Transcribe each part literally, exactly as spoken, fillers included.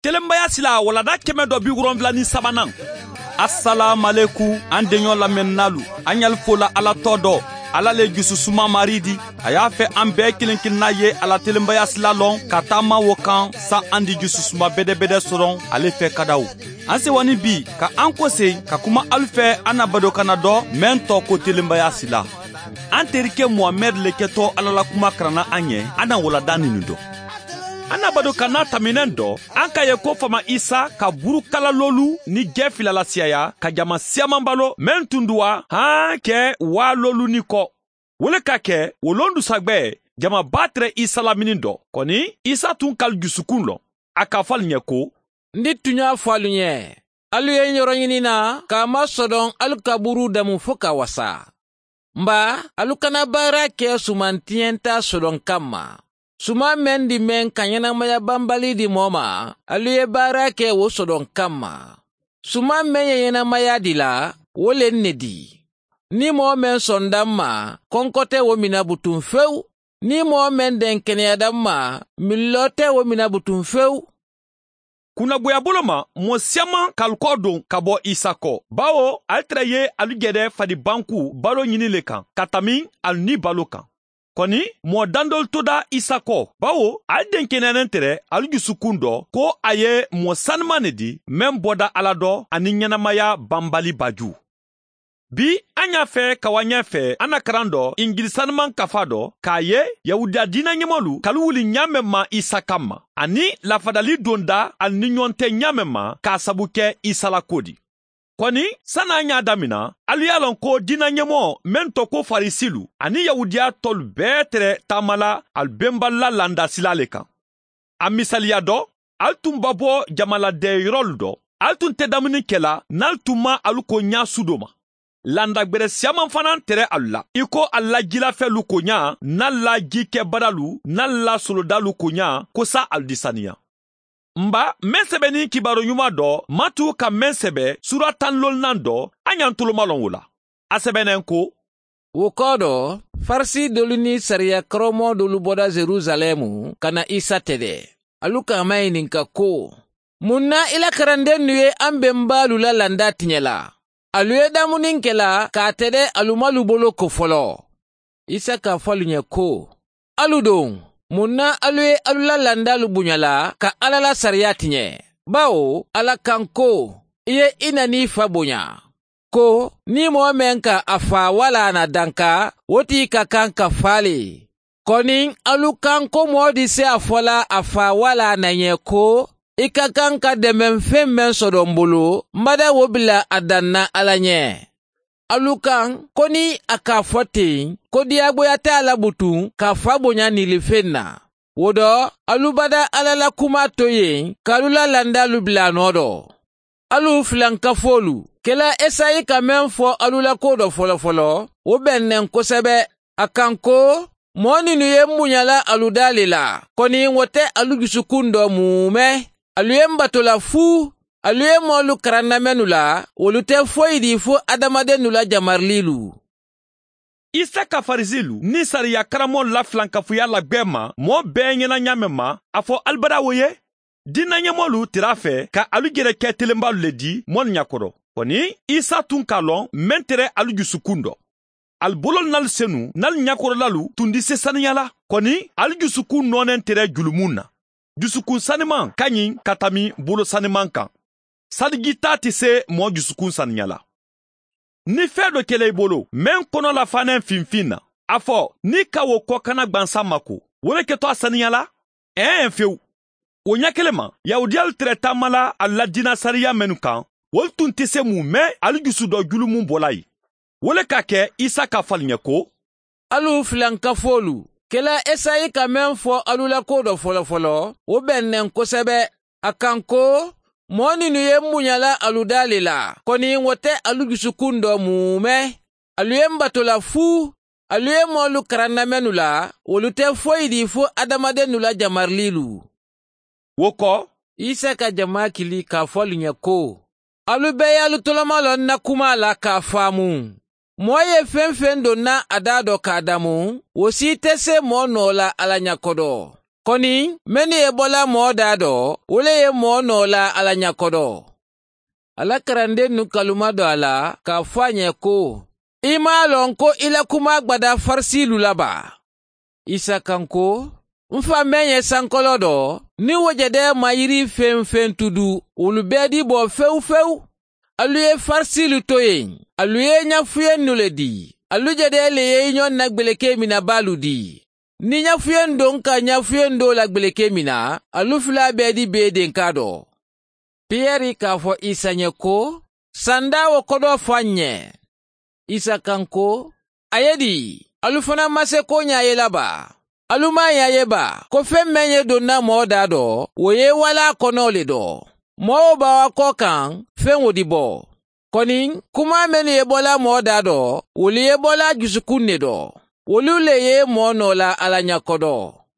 Telenbaya sila walanda kɛmɛ dɔ bi wolonwula ni sabanan. Asalaamaleku, an deɲɔ lamɛnnaalu, an ye ali fo la ala tɔ dɔ. Ala le jususuma maari di. A y'a fɛ an bɛɛ kelen kelenna ye a la telenbaya sila lɔn ka taama wo kan, sa an di jususuma bedebede sɔrɔ ale fɛ kadaw. An sewa ni bi ka an kosegi ka kuma alu fɛ an na badokanna dɔ, meŋ tɔgɔ ko telenbaya sila. An terike muhamɛdi le kɛtɔ ala la kuma karanna an ye. An na walanda ninu dɔ. An na badokanna taminɛn dɔ, an ka ye ko faama isa ka burukala loolu ni jɛ fila lasiyaya ka jama siyaman balo, meŋ tun duwa han kɛ waa loolu ni kɔ. Wo le ka kɛ wo londusagbɛ, jama baa tere isa lamini dɔ. Kɔni, isa tun ka alu jusukun lɔn. A ka fɔ alu ɲɛ ko, n di tuɲa fɔ alu ɲɛ, alu ye n yɔrɔ ɲini na, k'a masɔdɔn alu ka buru damu fo ka wasa. N ba, alu kana baara kɛ suman tiɲɛta sɔdɔn kamma. Suman meŋ di meŋ ka ɲɛnamaya banbali di mɔɔ ma, alu ye baara kɛ wo sɔdɔn kamma. Suman meŋ ye ɲɛnamaya di la, wo le n ne di. Ni mɔɔ meŋ sɔnda n ma, kɔnkɔ tɛ wo mina butun fewu. Ni mɔɔ meŋ deŋ keneyada n ma, mililɔ tɛ wo mina butun fewu. Kunnagoya bolo ma, mɔɔ siyaman ka alu kɔ don ka bɔ isa kɔ, bawo ali tere ye alu jɛdɛ fadi banku balo ɲini le kan ka tami alu ni balo kan. Kɔni, mɔɔ dandolu toda isa kɔ, bawo ali denkeneyalen tere alu jusukun dɔ ko a ye mɔɔ saniman ne di, meŋ bɔda ala dɔ ani ɲɛnamaya banbali baju. Bi, an y'a fɛ ka wa ɲɛ fɛ an na karan dɔ, injili saniman kafa dɔ, k'a ye yahudiya diina ɲɛmɔlu ka alu wuli ɲaameŋ ma isa kamma, ani lafadali donda ali ni ɲɔgɔn tɛ ɲaameŋ ma k'a sabu kɛ isa la ko di. Kɔni, sani an y'a damina, alu y'a lɔn ko diina ɲɛmɔgɔ meŋ tɔgɔ ko farisilu ani yahudiya tɔlu bɛɛ tere taamala alu benbali la landa sila le kan. A misaliya dɔ, alu tun babɔ jama la dɛyɔrɔlu dɔ. Alu tun tɛ damuni kela n'alu tun ma alu ko ɲa su do ma. Landa gbere siyaman fanaŋ tere alu la i ko alu la jilafɛlu ko ɲa, n'alu la jikɛbadalu, n'alu la solodalu ko ɲa, ko sa alu di saniya. N ba, meŋ sɛbɛnin kibaru ɲuman dɔ, matu ka meŋ sɛbɛ suura tan loonnan dɔ, a ɲantolomalɔn wo la. A sɛbɛnna n ko, wo kɔɔ dɔ, farisi doolu niŋ sariya karamɔgɔ doolu bɔra yeruzalɛmu ka na isa tɛdɛ. Alu ka a mayininka ko, muŋ na i la karandennu ye an benbaalu la landa tiɲɛ la? Alu ye damuni ke la k'a tɛdɛ alu ma alu bolo ko foloo. Isa ka a fo alu ɲɛ ko, alu doŋ, muŋ na alu ye alu la landaalu buɲa la ka alla la sariya tiɲɛ? Bawo a la kaŋ ko, i ye i na niŋ i fa boɲa. Ko, niŋ moo meŋ ka a faa walla a na danka, wo ti ka kaŋ ka faa le. Kɔni, alu kaŋ ko moo di si a fo la a faa walla a na ɲɛ ko, i ka kaŋ ka demenfeŋ meŋ sodo m bulu, m bada wo bila a daŋ na alla ɲɛ. Alu kaŋ ko niŋ a ka a fo teŋ, ko diyaaboya te a la butuŋ ka a fa boɲa nilifeŋ na. Wo do, alu bada alla la kumaa to yeŋ ka alu la landaalu bila a noo do. Alu filankafoolu, kela esayi ka meŋ fo alu la ko do folofoloo, wo beŋ ne n kosebe. A kaŋ ko, moo ninnu ye m buɲa la alu daa le la, koni wo te alu jusukuŋ do muume. Alu ye m bato la fuu. Alu ye moolu karanna mennu la, wolu te foyi dii fo hadamadennu la jamariliilu. Isa ka farisiilu niŋ sariya karammoolu la filankafuya la gbee ma moo bee ɲena ɲaameŋ ma, a fo ali bada wo ye. Diina ɲemoolu tera a fe ka alu jereke telenbaalu le di moolu ɲakoto. Koni, isa tun ka a loŋ meŋ tere alu jusukuŋ do. Ali bololu n'alu senu n'alu ɲakotolalu tun di se saniya la. Koni, alu jusukuŋ nooneŋ tere julumu na. Jusukun sanimaŋ ka ɲi ka tami bolo sanimaŋ kaŋ. Salijitaa ti se moo jusukun saniya la. Ni fee do kela i bolo meŋ kono la faanaŋ finfin na, a fo, niŋ i ka wo kokana gbansaŋ ma ko, wo le keto a saniya la? Ee fewu. Wo ɲa kele ma, yahudiyalu tere taama la ali la diina sariya mennu kaŋ, wolu tun te se mu me ali jusu do julumu bola ye. Wo le ka ke isa ka fo ali ɲe ko, alu filankafoolu, kela esayi ka meŋ fo alu la ko do folofoloo, wo beŋ ne n kosebe. A kaŋ ko, moo ninnu ye m buɲa la alu daa le la, koni wo te alu jusukuŋ do muume. Alu ye m bato la fuu. Alu ye moolu karanna mennu la, wolu te foyi dii fo hadamadennu la jamariliilu. Wo ko, isa ka jamaa kili ka a fo alu ɲe ko, alu be ye alu tolomaloo n na kumaa la ka a faamu. Moo ye feŋ-feŋ doŋ na a daa do ka a damu, wo si ite se moo noo la alla ɲakoto. Koniŋ mennu ye bo la moo daa do wo le ye moo noo la alla ña kodo. Alla karandennu ka luma do a la ka a fo a ñe ko, i maŋ a loŋ ko i la kumaa gbadaa farisiilu la baa? Isa ka ǹ ko, m faŋ meŋ ye sankoloo do, niŋ wo je de maŋ yiri feŋ-feŋ tudu wolu bee diboo fewu-fewu. Alu ye farisiilu toyeŋ, alu ye ñafuyennu le dii. Alu je de le ye i ñoŋ na gbelekee minabaalu dii. Niŋ ñafuyeŋ doŋ ka ñafuyeŋ doo la gbelekee mina, alu fula bee di bee denkaa do. Piyeri ka a fo isa ñe ko, sandaa wo kodoo fo a ǹ ñe. Isa ka ǹ ko, a ye di? Alu fanaŋ masekoo ñaa ye la baa? Alu maŋ a ye a ye baa ko feŋ meŋ ye doŋ na moo daa do, wo ye i wala a kono le do? Moo wo baawakoo kaŋ, feŋ wo di bo. Koniŋ kumaa mennu ye bo la moo daa do, wolu ye bo la jusukuŋ ne do. Wolu le ye moo noo la alla ña kodo.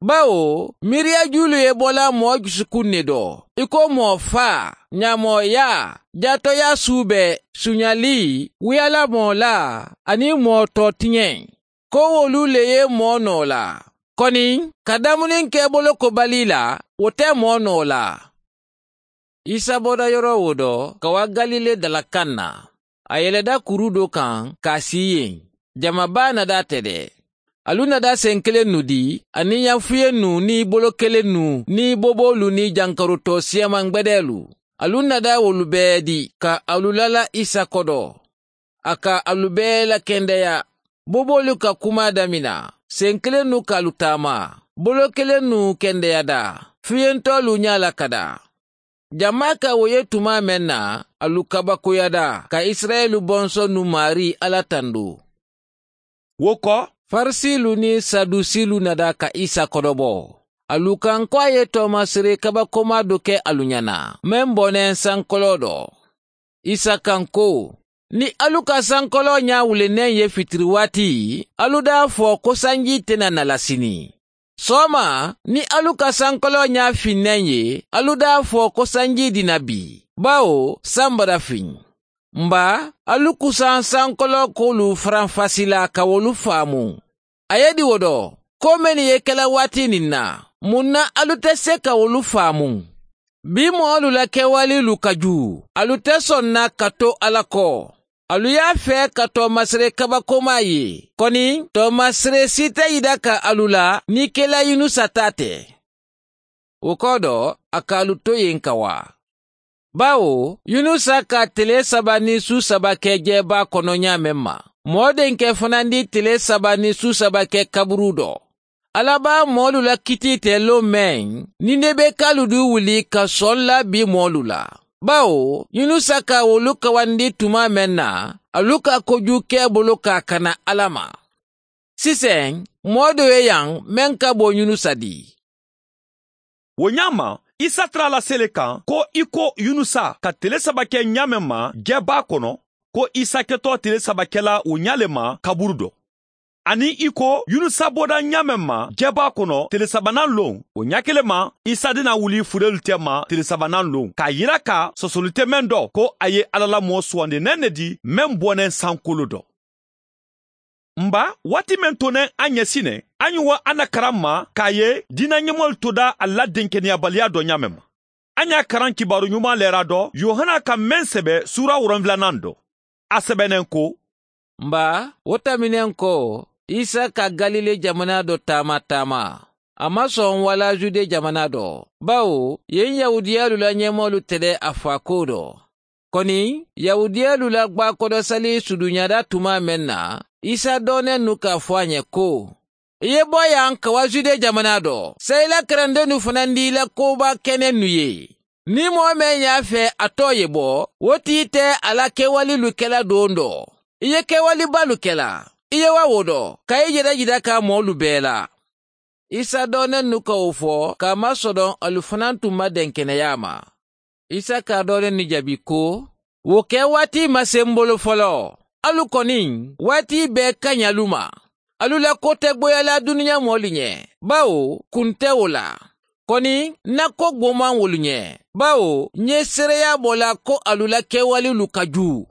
Bawo miiriyajuulu ye bo la moo jusukuŋ ne do, i ko moo faa, ñaamooyaa, jaatoyaa suubee, suñalii, wuyalamoo laa, aniŋ moo tootiñeŋ. Ko wolu le ye moo noo la. Koniŋ ka damuniŋ ke boloko balii la, wo te moo noo la. Isa bota yoroo wo do ka waa galile dala kaŋ na. A yeleda kuruu doo kaŋ ka a sii yen. Jama baa nada a te de. Alu nada senkelennu dii aniŋ ñafuyennu niŋ bolokelennu niŋ boboolu niŋ jankarutoo siyamaŋ gbedeelu. Alu nada wolu bee dii ka alu lala isa kodo. A ka alu bee lakendeya. Boboolu ka kumaa damina, senkelennu ka alu taama, bolokelennu kendeyadaa, fiyentoolu ñaa la ka daa. Jamaa ka wo ye tumaa meŋ na, alu kabakoyada ka isirayila bonsonnu maarii alla tandu. Wo ko farisiilu niŋ sadusiilu nada ka isa kodobo. Alu ka ǹ ko a ye toomasiree kabakomaa do ke alu ñana meŋ boneŋ sankoloo do. Isa ka ǹ ko, niŋ alu ka sankoloo ñaa wuli neŋ ye fitiriwaati, alu daa fo ko sanjii te na na la sini. Sooma, niŋ alu ka sankoloo ñaa fiŋ neŋ ye, alu daa fo ko sanjii dina bii, bawo samba da fiŋ. M ba, alu kusaŋ sankoloo koolu faranfasi la ka wolu faamu. A ye di wo do, koo mennu ye ke la waati niŋ na, muŋ na alu te se ka wolu faamu? Bii moolu la kewaliilu ka juu, alu te soŋ na ka to alla ko. Alu ye a fee ka toomasiree kabakomaa ye, koniŋ toomasiree si te yida ka alu la niŋ kela yunusa taa te. Wo kodo, a ka alu to yen ka waa. Bawo yunusa ka tele saba niŋ suu saba ke jeebaa kono ñaameŋ ma, moo denke fanandi tele saba niŋ suu saba ke kaburuu do. Alla be a moolu la kitii te loŋ meŋ, ninebekaalu du wuli ka soŋ la bii moolu la. Bawo yunusa ka wolu kawandi tumaa meŋ na, alu ka kojuu ke a bulu ka a kana alla ma. Siseŋ, moo doo ye yaŋ meŋ ka bo yunusa dii. Wo ñaama, isa tara la sele kaŋ ko i ko yunusa ka tele saba ke ñaameŋ ma jeebaa kono, ko isa ketoo tele saba ke la wo ñaa le ma kaburu do. Aniŋ i ko yunusa boda ñaameŋ ma jeebaa kono tele sabanaŋ loŋ, wo ñaa kele ma isa dina wuli fureelu te ma tele sabanaŋ loŋ ka a yira ka sosolu te meŋ do ko a ye alla la moo suwandi neŋ ne di meŋ boneŋ sankoloo do. M ba, waati meŋ to neŋ a ñe si ne, a ñuŋ wo a na karaŋ ma ka a ye diina ñemoolu to daa a la denkeneyabaliyaa do ñaameŋ ma. A ñaa karaŋ kibaaru ñumaa leeraa do yohana ka meŋ sebe suura woronfilanaŋ do. A sebe neŋ ko, m ba, wo tambi neŋ ko isa ka galile jamanaa do taama taama. A maŋ soŋ walla jude jamanaa do, bawo yen yahuudiyaalu la ñemoolu te de a faakoo do. Koni yahuudiyaalu la gbaakodosali suduñada tumaa meŋ na, isa doonennu ka a fo a ñe ko, i ye bo yaŋ ka wa jude jamanaa do, saayi i la karandennu fanandi i la koobaa kenennu ye. Niŋ moo meŋ ye a fee a too ye bo, wo tii te a la kewaliilu ke la doondoo. I ye kewalibaalu ke la, i ye wa wo do ka i jeda jeda ka moolu bee la. Isa doonennu ka wo fo ka a masodoŋ alu fanaa tun ma denkeneyaa ma. Isa ka a doonennu jabi ko, wo ke waati maseŋ bulu foloo. Alu koniŋ waati bee kañalu ma. Alu la kotegboyalaa duniyaa moolu ñe, bawo kuŋ te wo la. Koniŋ ǹ na ko gbomaŋ wolu ñe, bawo ǹ ye seereyaa bo la ko alu la kewaliilu ka juu.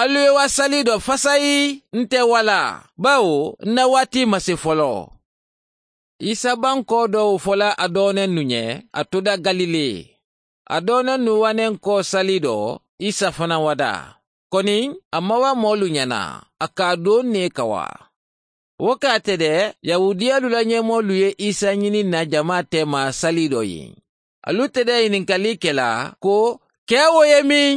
Alu ye wa sali do fasayi, nte wala? Bawo ǹ na waati masi foloo. Isa bankoo doo wo fo la a dooneŋ nu ɲe a tuda galile. A dooneŋ nu waneŋ koo sali doo isa fanaŋ wada. Koniŋ a mawa moolu ɲana a ka a doo nee kawa. Wo ka a tede yahuudiyalu la ɲemoolu ye isa ɲini na jamaa teema sali doo yi. Alu tede yininkalii ke la ko kee wo ye miŋ?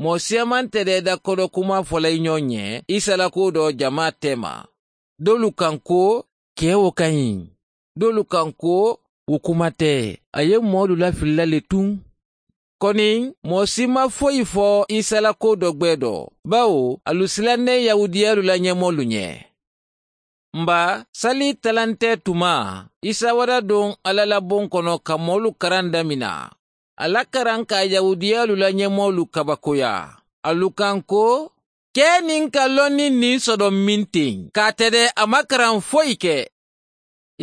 Moo siyamaŋ tede dakodo kumaa fo la i ɲoo ɲe isa la kuu doo jamaa teema. Doolu kaŋ ko kee wo ka ɲi. Doolu kaŋ ko wo kuma te. A ye moolu lafili la le tuŋ. Koniŋ moo si maŋ foyi fo isa la kuu doo gbee doo. Bawo alu silanneŋ yahuudiyalu la ɲemoolu ɲe. Mba sali talantee tuma isa wada duŋ alla la buŋ kono ka moolu karaŋ damina. A la karaŋ ka yahuudiyalu la ɲemoolu kabakoya. Alu kaŋ ko kee niŋ ka loŋ niŋ niŋ sodoŋ meŋ teŋ ka a tede a maŋ karaŋ foyi ke.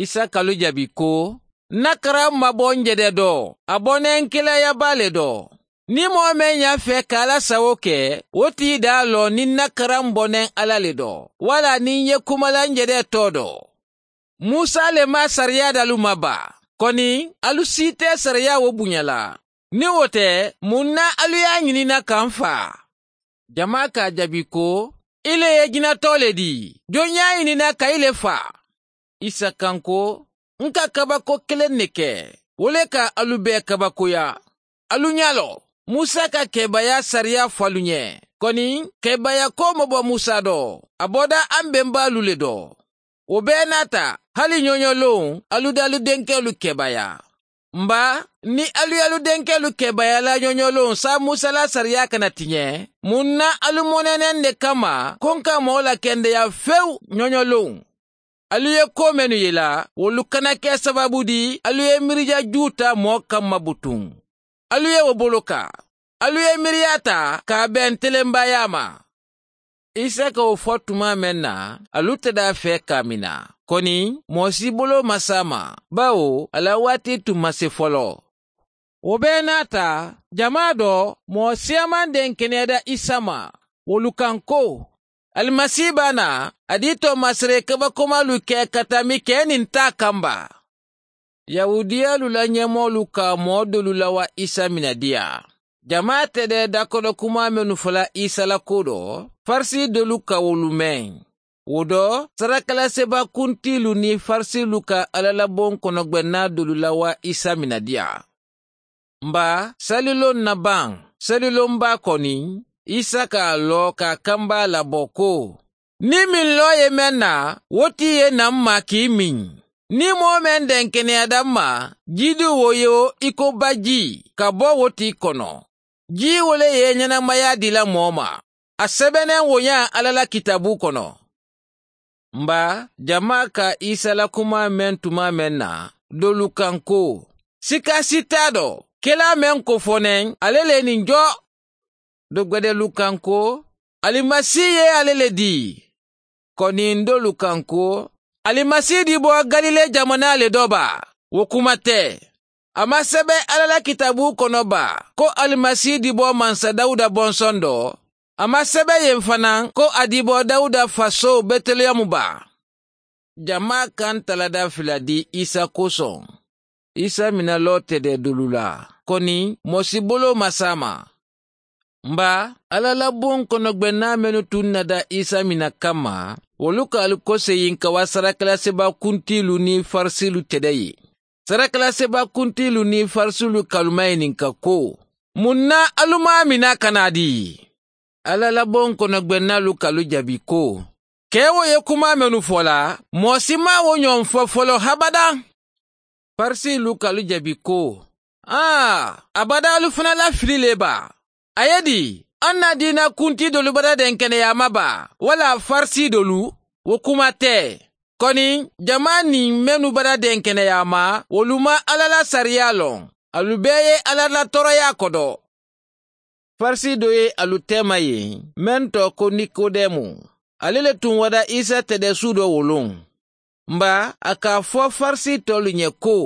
Isa ka alu jabi ko n na karaŋ maŋ bo n je de doo. A bo ne n kilaaya baa le doo. Niŋ moo meŋ ye a fee ka alla sawo ke wo tii daa loŋ niŋ n na karaŋ bo ne n alla le doo walla niŋ n ye kuma la n je de too doo. Musa le maŋ sariyaa daalu ma baa. Koniŋ alu siitee sariyaa wo buɲa la. Niŋ wo te muŋ na alu ye a ɲini n na ka m faa? Jamaa ka a jabi ko i le ye jinatoo le dii. Joŋ ye a ɲini n na ka i le faa? Isa kaŋ ko n ka kabako keleŋ ne ke. Wo le ka alu bee kabakoya. Alu ɲaa loŋ musa ka keebaayaa sariyaa fo alu ɲe. Koniŋ keebaayaa koo maŋ bo musa doo. A boda aŋ bembaalu le doo. Wo bee naata hali ɲooɲolowuŋ alu daalu denkeelu keebaayaa. Mba niŋ alu ye alu denkeelu keebaayaa la ɲooɲolowuŋ saayiŋ musa la sariyaa kana tiɲe. Muŋ na alu moneneŋ ne kamma ko n ka moo la kendeyaa fewu ɲooɲolowuŋ? Alu ye koo mennu ye la wolu kana ke sabaabu di alu ye mirijajuu taa moo kamma butuŋ. Alu ye wo boloka. Alu ye miiriyaa taa ka a beŋ telembayaa ma. Isa ka wo fo tumaa meŋ na alu te daa fee kaamina. Koniŋ moo si boloo maŋ saama bawo a la waati tun maŋ si foloo. Wo bee naata jamaa doo moo siyamaŋ denkeneeda isa ma. Wolu kaŋ ko alimasi be a naa a diitoo maŋ sere kabakomaalu ke ka tambi kee niŋ taa kamba. Yahuudiyalu la ɲemoolu ka moo doolu lawa isa minadiyaa. Jamaa tede dakodo kumaa mennu fola isa la kuu do farisi doolu ka wolu meŋ. Wo do sarakalasiba kuntiilu niŋ farisiilu ka alla la boŋ kono gbennaa doolu lawa isa minadiyaa. Mba saliloŋ na baŋ saliloŋ baa koniŋ isa ka a loo ka a kamba a la bo ko niŋ miŋ loo ye meŋ na wo ti ye na m maa kii miŋ. Niŋ moo meŋ denkeneyaata m ma jiidiwo ye wo i ko bajii ka bo wo ti kono. Jii wo le ye ɲenemayaa dii la moo ma. A sebeneŋ wo ñaa alla la kitaabuu kono. Mba jamaa ka isa la kumaa meŋ tumaa meŋ na doolu kaŋ ko sika si taa do kelaa meŋ ko fo neŋ ale le niŋ jo. Dogbedeelu kaŋ ko alimasi ye ale le dii. Koniŋ doolu kaŋ ko alimasi diboo galile jamanaa le do baa? Wo kuma te. A maŋ sebe alla la kitaabuu kono baa ko alimasi diboo mansa dawuda bonsoŋ do? A maŋ sebe yen fanaa ko a diboo dawuda fasoo betelehemu baa? Jamaa kaŋ talada fila di isa kosoŋ. Isa mina loo tede dulu la koni moo si boloo maŋ saama. Mba alla la buŋ kono gbennaa mennu tuŋ na da isa mina kamma wolu ka ali koseyiŋ ka wa sarakalasiba kuntiilu niŋ farisiilu tede ye. Sarakalasiba kuntiilu niŋ farisiilu ka alu mayininka ko muŋ na alu maŋ a mina ka naa dii? Alla la boŋ kono gbennaalu ka alu jabi ko kee wo ye kumaa mennu fo la moo si maŋ wo ñoŋ fo foloo habadaŋ. Farisiilu ka alu jabi ko aa abadaa alu fanaa la fili le baa? A ye dii aŋ na diina kuntii doolu badadenkeneyaama baa walla farisii doolu? Wo kuma te. Koni jamaa niŋ mennu badadenkeneyaama wolu maŋ alla la sariyaa loŋ. Alu bee ye alla la tooroyaa kodo. Farisi doo ye alu teema ye meŋ too ko nikodemu. Ali le tuŋ wada isa tede suudoo wuluŋ. Mba a ka a fo farisi toolu ñe ko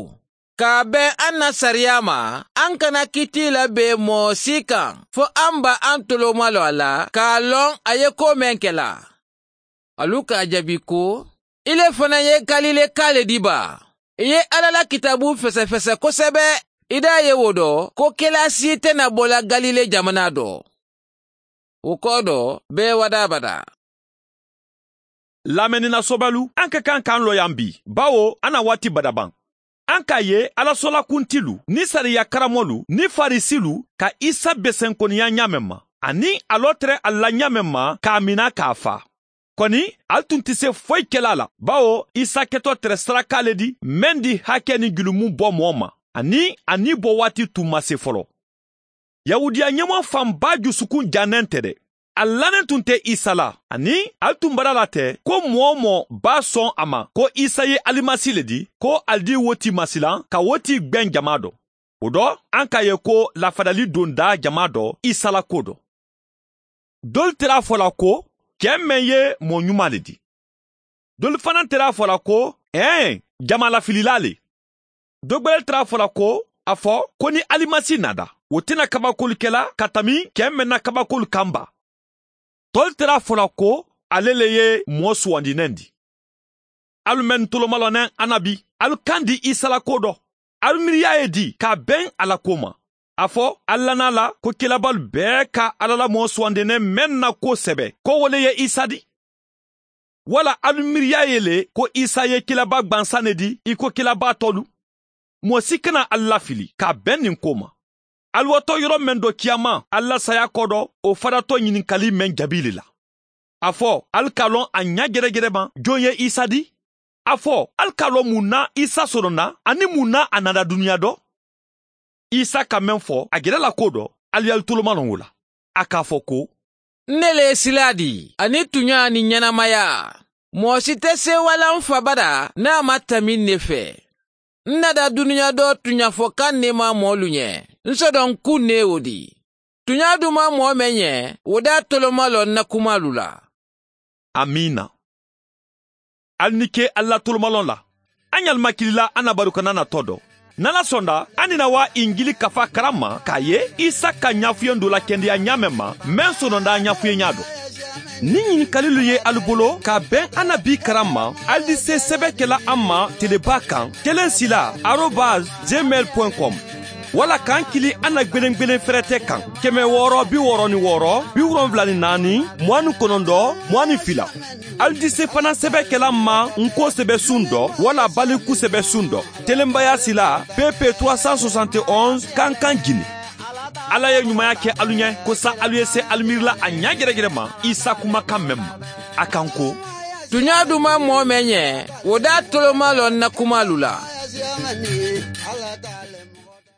ka a beŋ aŋ na sariyaa ma aŋ kana kitii la bee moo sii kaŋ fo aŋ ba aŋ toloomaloo a la ka a loŋ a ye koo meŋ ke la. Alu ka a jabi ko i le fanaa ye galile kaa le dii baa? I ye alla la kitaabu fesefese kosebe. I daa ye wo do ko kelasi te na bo la galile jamanaa do. Wo koo do bee wadaabada. Laameni na sobalu an ka kaŋ ka an looyaŋ bii bawo an na waati bada baŋ. An ka a ye alla soolakuntilu niŋ sariya karamolu niŋ farisilu ka isa besenkoniya ñaameŋ ma aniŋ a loo tere ali la ñaameŋ ma ka a mina ka a faa. Koni ali tun ti se foyi ke la a la bawo isa keto tere sarakaa le di meŋ di hake niŋ julumu bo moo ma aniŋ a nii bo waati tun ma se foloo. Yahudiya ñemoo faŋ baa jusukun jaa neŋ te de. Ali la neŋ tun te isa la aniŋ ali tun bara la te ko moo-wo-moo baa soŋ a ma ko isa ye alimasi le di ko ali dii wo tii masilaŋ ka wo tii gbeŋ jamaa do. Wo do an ka a ye ko lafadali dundaa jamaa do isa la kuwo do. Doolu tera a fo la ko kee meŋ ye moo ñumaa le di. Doolu fanaa tera a fo la ko ee jamaa lafililaa le. Dogbele tara a fo la ko a fo ko niŋ alimasi naata wo te na kabakoolu ke la ka tambi kee meŋ na kabakoolu kaŋ baa. Toolu tara a fo la ko ale le ye moo suwandi neŋ di. Alu mennu tolomaloo neŋ annabi alu kandi isa la kuwo do. Alu miiriyaa ye dii ka a beŋ a la kuwo ma. A fo alu la naa la ko kilabaalu bee ka alla la moo suwandi neŋ meŋ na kuwo sebe ko wo le ye isa di. Walla alu miiriyaa ye le ko isa ye kilabaa gbansaŋ ne di i ko kilabaa toolu? Moo si kana alu lafili ka a beŋ niŋ kuwo ma. Alu wo to yoro meŋ do kiyama alu la saayaa kodo wo fadatoo ñininkali meŋ jabii le la. A fo alu ka a loŋ a ñaajerejerema joŋ ye isa di? A fo alu ka a loŋ muŋ na isa sononda aniŋ muŋ na a naata duniyaa do? Isa ka meŋ fo a je la la kuwo do. Alu ye alu tolomaloŋ wo la a ka a fo ko n ne le ye silaa di aniŋ tuñaa niŋ ñenemayaa. Moo si te seewala m fa bada niŋ a maŋ tambi n ne fee. N naata duniyaa do tuñafokaŋ neemaa moolu ñe n sodoŋ kuŋ ne ye wo di. Tuñaa dumaa moo meŋ ñe wo daa tolomaloŋ n na kumaalu la. Amiina. Ali ni ke ali la tolomaloŋ la. A ñalu ma kilila a na baru kana na to do. N ala sonda a ni na waa injili kafa karamma ka a ye isa ka ñaafuyeŋ do la kendeya ñaameŋ ma meŋ sononda ñaafuyeñaa do. Niŋ ñininkalilu ye ali bolo ka a beŋ a na bii karamma ali di se sebe ke la a ma telebaa kaŋ keleŋ sila arobas gmail point com. Walla ka n kili a na gbeneŋ gbeneŋ ferete kaŋ keme wooro bi wooro ni wooro bi wolonwula ni naani muwaani konondo muwaani fila. Ali di se fanaŋ sebe ke la n ma n ko sebe suŋ do walla baliku sebe suŋ do. Telenbaya sila pepe trois cent soixante et onze kankaŋ jini. Alla ye ñumaya ke alu ñe ko sa alu ye se alu miiri la a ñaajerejere ma isa kumakaŋ meŋ ma. A kaŋ ko tuñaa dumaa moo meŋ ñe wo daa tolomaa loŋ n na kumaalu la.